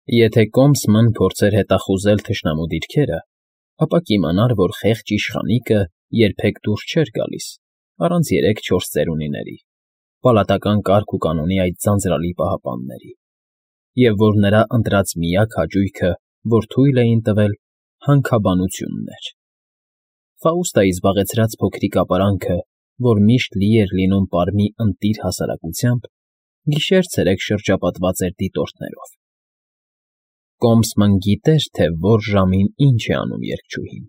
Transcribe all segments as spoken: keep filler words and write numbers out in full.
Եթե Կոմսմն փորձեր հետախուզել թշնամու դիրքերը, ապա կիմանար, որ խեղճ իշխանիկը երբեք դուրս չէր գալիս առանց երեք֊չորս ծերունիների, պալատական կարգ ու կանոնի այդ ձանձրալի պահապանների, և որ նրա ընտրած միակ հաճույքը, որ թույլ էին տվել, հանքաբանությունն էր. Ֆաուստայի զբաղեցրած փոքրիկ ապարանքը, որ միշտ լի էր լինում պարմի ընտիր հասարակությամբ, գիշեր֊ցերեկ շրջապատված էր դիտորդներով։ Կոմսմն գիտեր, թե որ ժամին ինչ է անում երգչուհին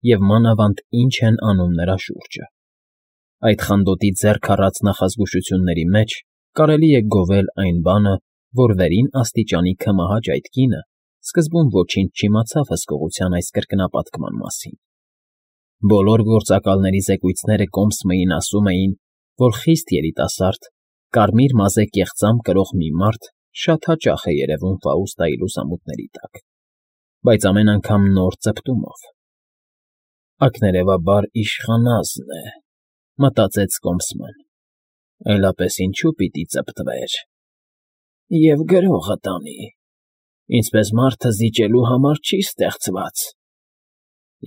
և մանավանդ ինչ են անում նրա շուրջը. այդ խանդոտի ձեռք առած նախազգուշությունների մեջ կարելի է գովել այն բանը, որ վերին աստիճանի քմահաճ այդ կինը սկզբում ոչինչ չիմացավ հսկողության այս կրկնապատկման մասին։ Բոլոր գործակալների զեկույցները Կոմսմըին ասում էին, որ խիստ երիտասարդ, կարմիր մազե կեղծամ կրող մի մարդ շատ հաճախ է երևում Ֆաուստայի լուսամուտների տակ, բայց ամեն անգամ նոր ծպտումով։ «Ակներևաբար իշխանազն է,֊ մտածեց Կոմսմն,֊ այլապես ինչու պիտի ծպտվեր… Եվ գրողը տանի, ինչպես մարդը զիջելու համար չի ստեղծված…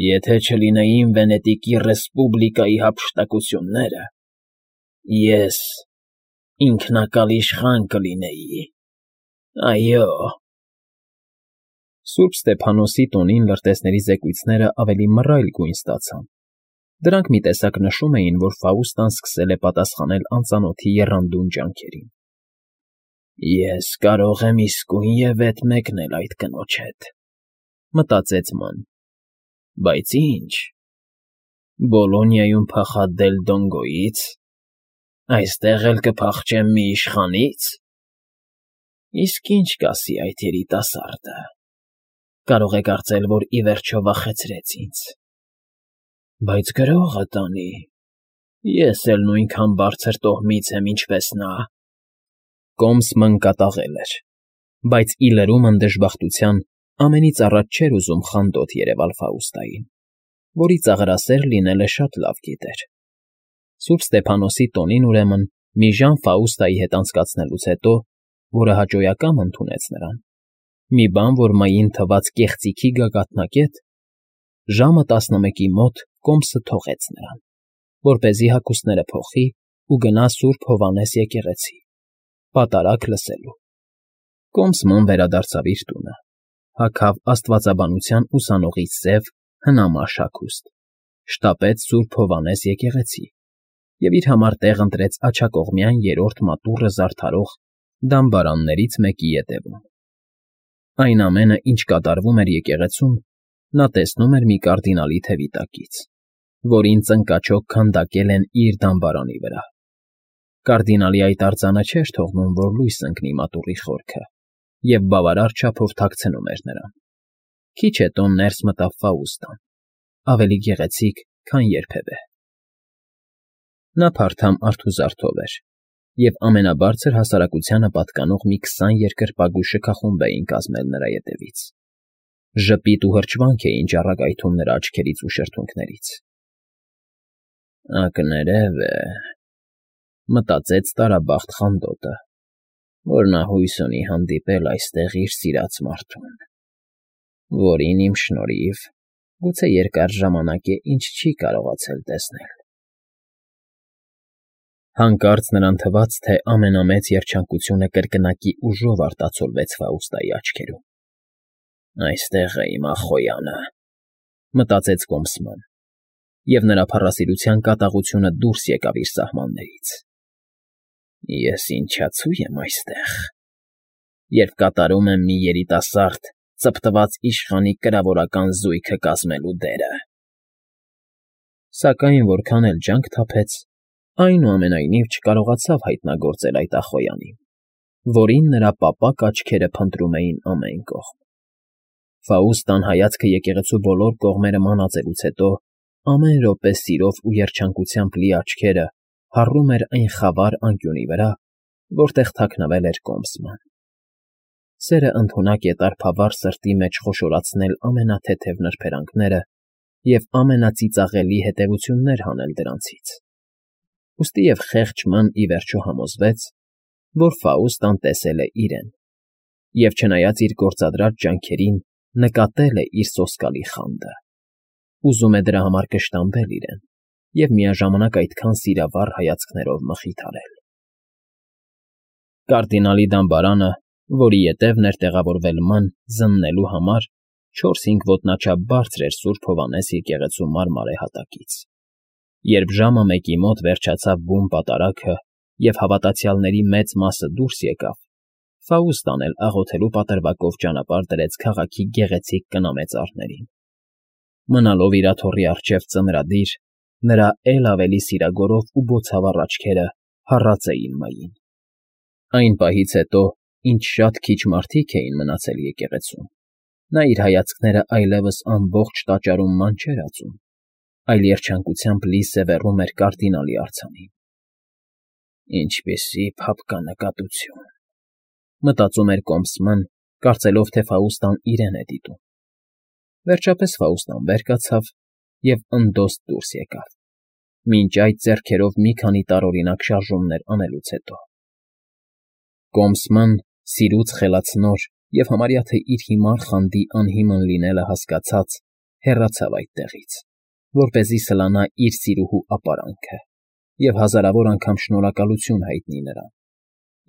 Եթե չլինեին Վենետիկի Ռեսպուբլիկայի հափշտակությունները, ես ինքնակալ իշխան կլինեի… Այո՜»։ Սուրբ Ստեփանոսի տոնին լրտեսների զեկույցներն ավելի մռայլ գույն ստացան. դրանք մի տեսակ նշում էին, որ Ֆաուստան սկսել է պատասխանել անծանոթի եռանդուն ջանքերին։ «Ես կարող եմ իսկույնև ետ մեկնել այդ կնոջ հետ,֊ մտածեց Ման,֊ բայց ի՞նչ… Բոլոնիայում փախադել Դոնգոյի՞ց… Այստեղ էլ կփախչեմ մի իշխանի՞ց… Իսկ ի՞նչ կասի այդ երիտասարդը… Կարող է կարծել, որ ի վերջո վախեցրեց ինձ… Բայց գրողը տանի, ես էլ նույնքան բարձր տոհմից եմ, ինչպես նա…»։ Կոմսմն կատաղել էր, բայց ի լրումն դժբախտության ամենից առաջ չէր ուզում խանդոտ երևալ Ֆաուստային, որի ծաղրասեր լինելը շատ լավ գիտեր։ Սուրբ Ստեփանոսի տոնին, ուրեմն, մի ժամ Ֆաուստայի հետ անցկացնելուց հետո, որը հաճոյակամ ընդունեց նրան, մի բան, որ Մային թվաց կեղծիքի գագաթնակետ, ժամը տասնմեկի մոտ Կոմսը թողեց նրան, որպեսզի հագուստները փոխի ու գնա Սուրբ Հովհաննես եկեղեցի, պատարագ լսելու։ Կոմսմն վերադարձավ իր տունը, հագավ աստվածաբանության ուսանողից սև, հնամաշ հագուստ, շտապեց Սուրբ Հովհաննես եկեղեցի և իր համար տեղ ընտրեց աջակողմյան երրորդ մատուռը զարդարող դամբարաններից մեկի ետևում։ Այն ամենը, ինչ կատարվում էր եկեղեցում, նա տեսնում էր մի կարդինալի թևի տակից, որին ծնկաչոք քանդակել են իր դամբարանի վրա։ Կարդինալի այդ արձանը չէր թողնում, որ լույս ընկնի մատուռի խորքը, և բավարար չափով թաքցնում էր նրան։ Քիչ հետո ներս մտավ Ֆաուստան, ավելի գեղեցիկ, քան երբևէ։ Նա փարթամ արթուզարդով էր, և ամենաբարձր հասարակությանը պատկանող մի քսան երկրպագու շքախումբ էին կազմել նրա ետևից։ Ժպիտ ու հրճվանք էին ճառագայթում նրա աչքերից ու շրթունքներից։ «Ակներև է,֊ մտածեց տարաբախտ խանդոտը,֊ որ նա հույս ունի հանդիպել այստեղ իր սիրած մարդուն, որին իմ շնորհիվ գուցե երկար ժամանակ է ինչ չի կարողացել տեսնել»։ Հանկարծ նրան թվաց, թե ամենամեծ երջանկությունը կրկնակի ուժով արտացոլվեց Ֆաուստայի աչքերում։ «Այստեղ է իմ Ախոյանը,֊ մտածեց Կոմսմն, և նրա փառասիրության կատաղությունը դուրս եկավ իր սահմաններից։ Ես ինչացու եմ այստեղ, երբ կատարում եմ մի երիտասարդ, ծպտված իշխանի կրավորական զույգը կազմելու դերը…»։ Սակայն որքան էլ ջանք թափեց, այնուամենայնիվ չկարողացավ հայտնագործել այդ Ախոյանին, որին նրա պապակ աչքերը փնտրում էին ամեն կողմ։ Ֆաուստան հայացքը եկեղեցու բոլոր կողմերը մանածելուց հետո ամեն րոպե սիրով ու երջանկությամբ լի աչքերը հառում էր այն խավար անկյունի վրա, որտեղ թաքնվել էր Կոմսմն։ Սերը ընդունակ է տարփավար սրտի մեջ խոշորացնել ամենաթեթև նրբերանգները և ամենածիծաղելի հետևություններ հանել դրանցից, ուստի և խեղճ Ման ի վերջո համոզվեց, որ Ֆաուստան տեսել է իրեն և չնայած իր գործադրած ջանքերին, նկատել է իր սոսկալի խանդը, ուզում է դրա համար կշտամբել իրեն և միաժամանակ այդքան սիրավառ հայացքներով մխիթարել։ Կարդինալի դամբարանը, որի ետևն էր տեղավորվել Ման զննելու համար, չորս֊հինգ ոտնաչափ բարձր էր Սուրբ Հովհաննես եկեղեցու մարմարե հատակից։ Երբ ժամը մեկի մոտ վերջացավ բուն պատարագը և հավատացյալների մեծ մասը դուրս եկավ, Ֆաուստան էլ աղոթելու պատրվակով ճանապարհ դրեց քաղաքի գեղեցիկ կնամեծարներին։ Մնալով իր աթոռի առջև ծնրադիր, նրա էլ ավելի սիրագորով ու բոցավառ աչքերը հառած էին Մային։ Այն պահից հետո, ինչ շատ քիչ մարդիկ էին մնացել եկեղեցում, նա իր հայացքները այլևս ամբողջ տաճարում ման չէր ածում, այլ երջանկությամբ լի սևեռում էր կարդինալի արձանին։ «Ինչպիսի՜ փափկանկատություն,֊ մտածում էր կոմսման, կարծելով, թե Ֆաուստան իրեն է դիտում։ Վերջապես Ֆաուստան վեր կացավ և ընդոստ դուրս եկավ, մինչ այդ ձեռքերով մի քանի տարօրինակ շարժումներ անելուց հետո։ Կոմսման, սիրուց խելացնոր և համարյա թե իր հիմար խանդի անհիմն լինելը հասկացած, հեռացավ այդտեղից, որպեսզի սլանա իր սիրուհու ապարանքը և հազարավոր անգամ շնորհակալություն հայտնի նրան,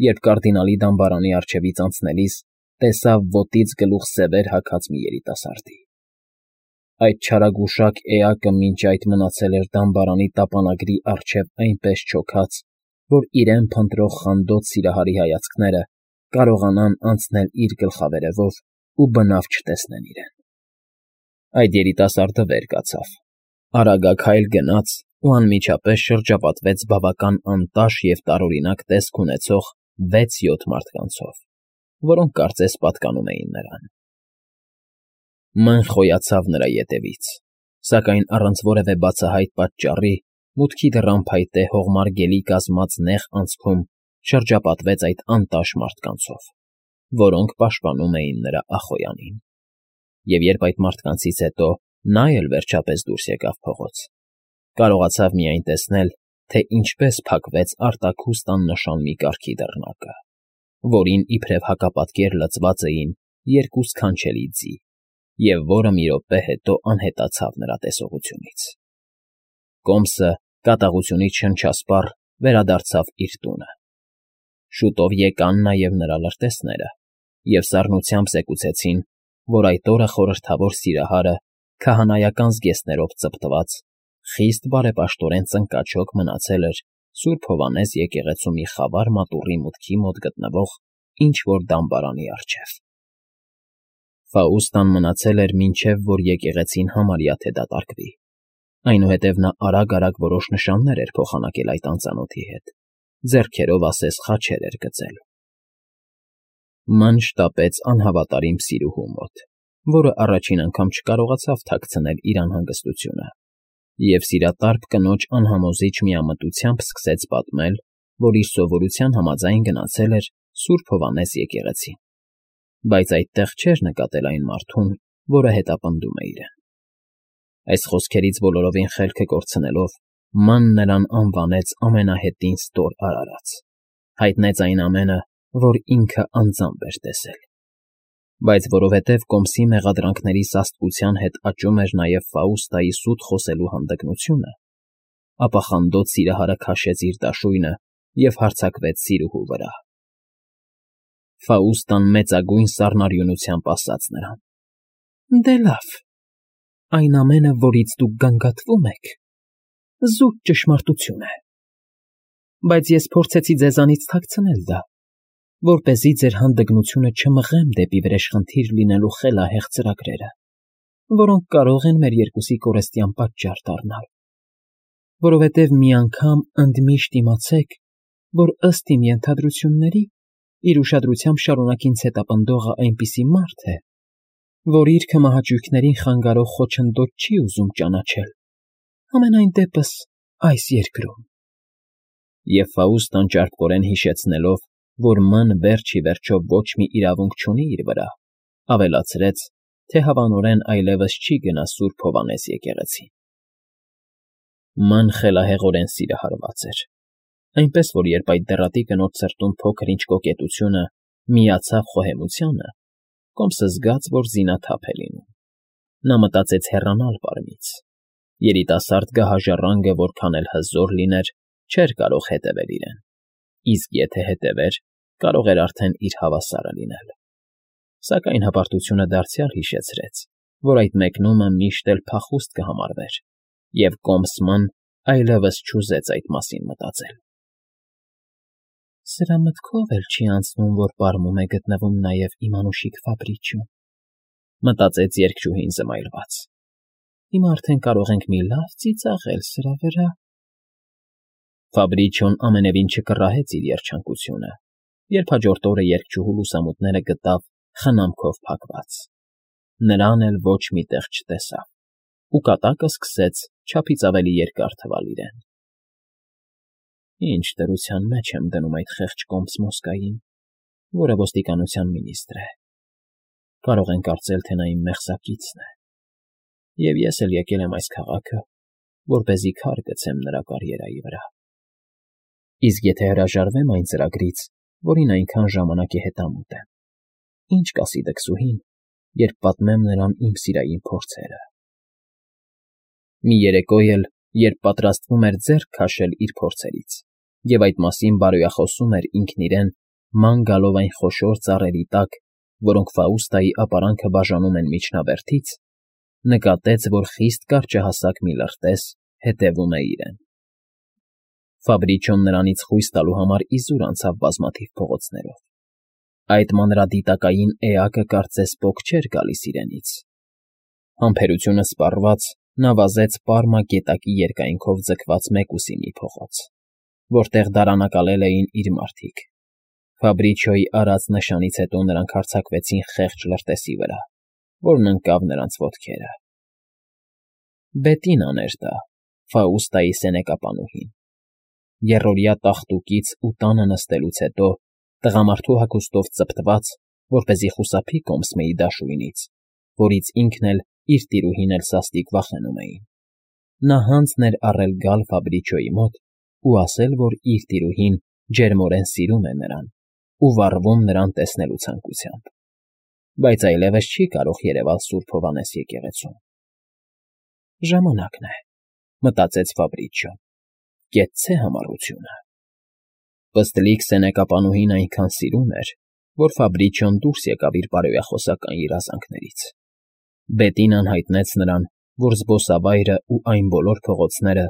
երբ կարդինալի դամբարանի առջևից անցնելիս տեսավ ոտից գլուխ սևեր հագած մի երիտասարդի։ Այդ չարագուշակ էակը մինչ այդ մնացել էր դամբարանի տապանագրի առջև այնպես չոքած, որ իրեն փնտրող խանդոտ սիրահարի հայացքները կարողանան անցնել իր գլխավերևով ու բնավ չտեսնեն իրեն։ Այդ երիտասարդը վեր կացավ, արագաքայլ գնաց ու անմիջապես շրջապատվեց բավական անտաշ և տարօրինակ տեսք ունեցող վեց֊յոթ մարդկանցով, որոնք կարծես պատկանում էին նրան։ Ման խոյացավ նրա ետևից, սակայն առանց որևէ բացահայտ պատճառի մուտքի դռան փայտե հողմար գելի կազմած նեղ անցքում շրջապատվեց այդ անտաշ մարդկանցով, որոնք պաշտպանում էին նրա ախոյանին։ Եվ երբ այդ մարդկանցից հետո նա էլ վերջապես դուրս եկավ փողոց, կարողացավ միայն տեսնել, թե ինչպես փակվեց արտաքուստ աննշան մի կառքի դռնակը, որին իբրև հակապատկեր լցված էին երկու սքանչելի ձի, և որը մի րոպե հետո անհետացավ նրա տեսողությունից։ Կոմսը կատաղությունից շնչասպառ վերադարձավ իր տունը։ Շուտով եկան նաև նրա լրտեսները և սառնությամբ զեկուցեցին, որ այդ օրը խորհրդավոր սիրահարը քահանայական զգեստներով ծպտված, խիստ բարեպաշտորեն ծնկաչոք մնացել էր Սուրբ Հովհաննես եկեղեցու մի խավար մատուռի մուտքի մոտ գտնվող ինչ֊որ դամբարանի առջև։ Ֆաուստան մնացել էր մինչև, որ եկեղեցին համարյա թե դատարկվի, այնուհետև նա արագ֊արագ որոշ նշաններ էր փոխանակել այդ անծանոթի հետ, ձեռքերով ասես խաչեր էր գծել։ Ման շտապեց անհավատարիմ սիրուհու մոտ, որը առաջին անգամ չկարողացավ թաքցնել իր անհանգստությունը, և սիրատարփ կնոջ անհամոզիչ միամտությամբ սկսեց պատմել, որ իր սովորության համաձայն գնացել էր Սուրբ Հովհաննես եկեղեցին, բայց այդտեղ չէր նկատել այն մարդուն, որը հետապնդում է իրեն։ Այս խոսքերից բոլորովին խելքը կորցնելով, Ման նրան անվանեց ամենահետին ստոր արարած, հայտնեց այն ամենը, որ ինքը անձամբ էր տեսել։ Բայց որովհետև կոմսի մեղադրանքների սաստկության հետ աճում էր նաև Ֆաուստայի սուտ խոսելու հանդգնությունը, ապա խանդոտ սիրահարը քաշեց իր դաշույնը և հարձակվեց սիրուհու վրա։ Ֆաուստան մեծագույն սառնարյունությամբ ասաց նրան. «Դե լավ, այն ամենը, որից դուք գանգատվում եք, զուտ ճշմարտություն է, բայց ես փորձեցի ձեզանից թաքցնել դա, որպեսզի ձեր հանդգնությունը չմղեմ դեպի վրեժխնդիր լինելու խելահեղ ծրագրերը, որոնք կարող են մեր երկուսի կորստյան պատճառ դառնալ, որովհետև մի անգամ ընդմիշտ իմացեք, որ ըստ իմ ենթադրությունների իր ուշադրությամբ շարունակ ինձ հետապնդողը այնպիսի մարդ է, որ իր քմահաճույքներին խանգարող խոչընդոտ չի ուզում ճանաչել, համենայն դեպս այս երկրում»։ Եվ Ֆաուստան ճարպկորեն հիշեցնելով, որ Ման վերջ ի վերջո ոչ մի իրավունք չունի իր վրա, ավելացրեց, թե հավանորեն այլևս չի գնա Սուրբ Հովհաննես եկեղեցին։ Ման խելահեղորեն սիրահարված էր, այնպես որ երբ այդ դեռատի կնոջ սրտում փոքր-ինչ կոկետությունը միացավ խոհեմությանը, կոմսը զգաց, որ զինաթափ է լինում։ Նա մտածեց հեռանալ պարմից։ Երիտասարդ գահաժառանգը որքան էլ հզոր լիներ, չէր կարող հետևել իրեն, իսկ եթե հետևեր, կարող էր արդեն իր հավասարը լինել։ Սակայն հպարտությունը դարձյալ հիշեցրեց, որ այդ մեկնումը միշտ էլ փախուստ կհամարվեր, և կոմսման այլևս չուզեց այդ մասին մտածել։ Սրա մտքով էլ չի անցնում, որ պարմում է գտնվում նաև իմ անուշիկ Ֆաբրիչիոն, մտածեց երգչուհին զմայլված։ Հիմա արդեն կարող ենք մի լավ ծիծաղել սրա վրա։ Ֆաբրիչիոն ամենևին չկռահեց իր երջանկությունը, երբ հաջորդ օրը երգչուհու լուսամուտները գտավ խնամքով փակված։ Նրան էլ ոչ մի տեղ չտեսավ, ու կատակը սկսեց չափից ավելի երկար թվալ իրեն։ Ինչ դրության մեջ եմ դնում այդ խեղճ կոմս Մոսկային, որը ոստիկանության մինիստրը է։ Կարող են կարծել, թե նա իմ մեղսակիցն է, և ես էլ եկել եմ այս քաղաքը, որպեսզի քար գցեմ նրա կարիերայի վրա։ Իսկ եթե հրաժարվեմ այն ծրագրից, որին այնքան ժամանակ է հետամուտ եմ, ինչ կասի դքսուհին, երբ պատմեմ նրան իմ սիրային փորձերը։ Մի երեկո էլ, երբ պատրաստվում էր ձեռք քաշել իր փորձերից, և այդ մասին բարոյախոսում էր ինքն իրեն, ման գալով այն խոշոր ծառերի տակ, որոնք Ֆաուստայի ապարանքը բաժանում են միջնաբերդից, նկատեց, որ խիստ կարճահասակ մի լրտես հետևում է իրեն։ Ֆաբրիչիոն նրանից խույս տալու համար իզուր անցավ բազմաթիվ փողոցներով։ Այդ մանրադիտակային էակը կարծես պոկ չէր գալիս իրենից։ Համբերությունը սպառված, նա վազեց Պարմա գետակի երկայնքով ձգված մեկուսի մի փողոց, որտեղ դարանակալել էին իր մարդիկ։ Ֆաբրիչիոյի արած նշանից հետո նրանք հարձակվեցին խեղճ լրտեսի վրա, որն ընկավ նրանց ոտքերը։ Բետինան էր դա, Ֆաուստայի սենեկապանուհին։ Եռօրյա տախտուկից ու տանը նստելուց հետո, տղամարդու հագուստով ծպտված, որպեսզի խուսափի կոմսմեի դաշույնից, որից ինքն էլ, իր տիրուհին էլ սաստիկ վախենում էին։ Նա հանձն էր առել գալ Ֆաբրիչիոյի մոտ ու ասել, որ իր տիրուհին ջերմորեն սիրում է նրան ու վառվում նրան տեսնելու ցանկությամբ, բայց այլևս չի կարող երևալ Սուրբ Հովհաննես եկեղեցում։ Ժամանակն է, մտածեց Ֆաբրիչիոն, կեցցե համառությունը։ Պստլիկ սենեկապանուհին այնքան սիրում էր, որ Ֆաբրիչիոն դուրս եկավ իր բարոյախոսական երազանքներից։ Բետինան հայտնեց նրան, որ զբոսավայրը ու այն բոլոր փողոցները,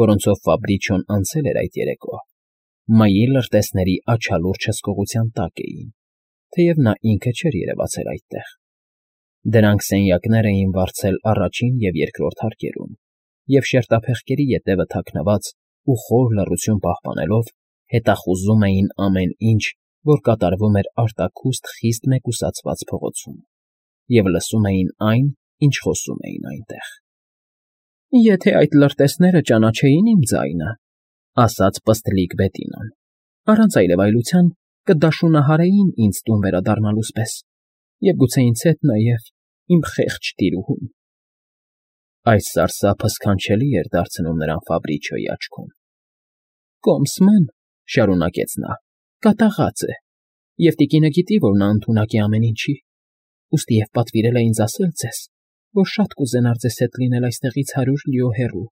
որոնցով Ֆաբրիչիոն անցել էր այդ երեկո, մայի լրտեսների աչալուրջ հսկողության տակ էին, թեև նա ինքը չէր երևացել այդտեղ։ Դրանք սենյակներ էին վարձել առաջին և երկրորդ հարկերում, և շերտափեղկերի ետևը թաքնված ու խոր լռություն պահպանելով, հետախուզում էին ամեն ինչ, որ կատարվում էր արտաքուստ խիստ մեկուսացված փողոցում, և լսում էին այն, ինչ խոսում էին այնտեղ։ Եթե այդ լրտեսները ճանաչեին իմ ձայնը, ասաց պստլիկ Բետինան, առանց այլևայլության կդաշունահարեին ինձ տուն վերադառնալուս պես, և գուցե ինձ հետ նաև իմ խեղճ տիրուհուն։ Այս սարսափը սքանչելի էր դարձնում նրան Ֆաբրիչիոյի աչքում։ Կոմսման, շարունակեց նա, կատաղած է, և տիկինը գիտի, որ նա ընդունակ է ամեն ինչի, ուստի և պատվիրել է ինձ ասել ձեզ, որ շատ կուզենար ձեզ հետ լինել այստեղից հարյուր լիո հեռու,